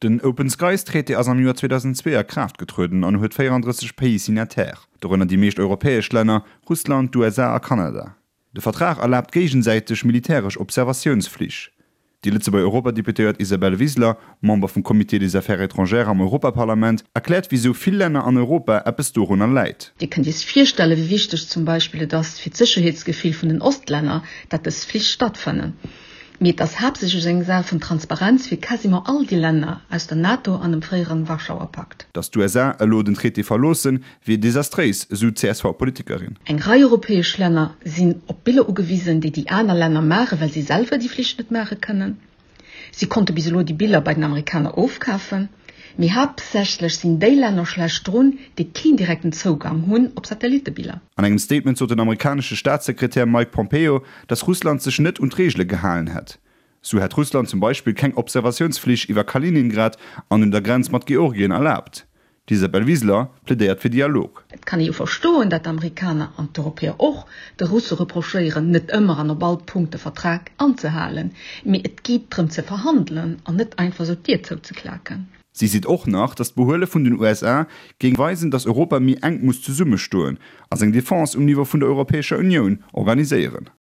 Den Open Skies Traité ass am Joer 2002 a Kraaft getrueden an huet 34 Pays signataires, dorënner déi meescht europäesch Länner, Russland, d'USA a Kanada. De Vertrag erlaabt géigesäiteg militäresch Observatiounsflich. Déi Lëtzebuerger Europadeputéiert Isabelle Wiseler, Member vum Comité des Affaires étrangères am Europaparlament, erkläert wisou vill Länner an Europa eppes dorunner läit. Dir kënnt Iech virstellen, wéi wichteg zum Beispill et ass fir d'Sécherheetsgefill vun den Ostlänner, dat dës Flich stattfannen. Mee et ass haaptsächlech eng Saach vun Transparenz fir quasiment all déi Länner aus der NATO an dem fréieren Warschauer Pakt. Datt d'USA elo den Traité verloossen, wier desastréis, esou d'CSV-Politikerin. Eng Rei europäesch Länner sinn op Biller ugewisen, déi déi aner Länner maachen, well si selwer déi Flich net maache kënnen. Si konnte bis elo déi Biller bei den Amerikaner ofkafen. Mee haaptsächlech sinn déi Länner schlecht drun, déi keen direkten Zougang hunn op Satellittebiller. An engem Statement sot den amerikanesche Staatssekretär Mike Pompeo, datt Russland sech net un d'Reegele gehalen hätt. Sou hätt Russland zum Beispill keng Observatiounsflich iwwer Kaliningrad an un der Grenz mat Georgien erlaabt. D'Isabel Wiseler plädéiert fir Dialog. Et kann ee jo verstoen, dat d'Amerikaner, an d'Europäer och, de Russe reprochéieren, net ëmmer an op all Punkt de Vertrag anzehalen. Mee et geet drëm ze verhandelen an net einfach esou d'Dier zouzeklaken. Si seet och nach, datt d'Behuele vun den USA géing weisen, datt Europa méi enk muss zesummestoen a seng Defense um Niveau vun der Europäescher Unioun organiséieren.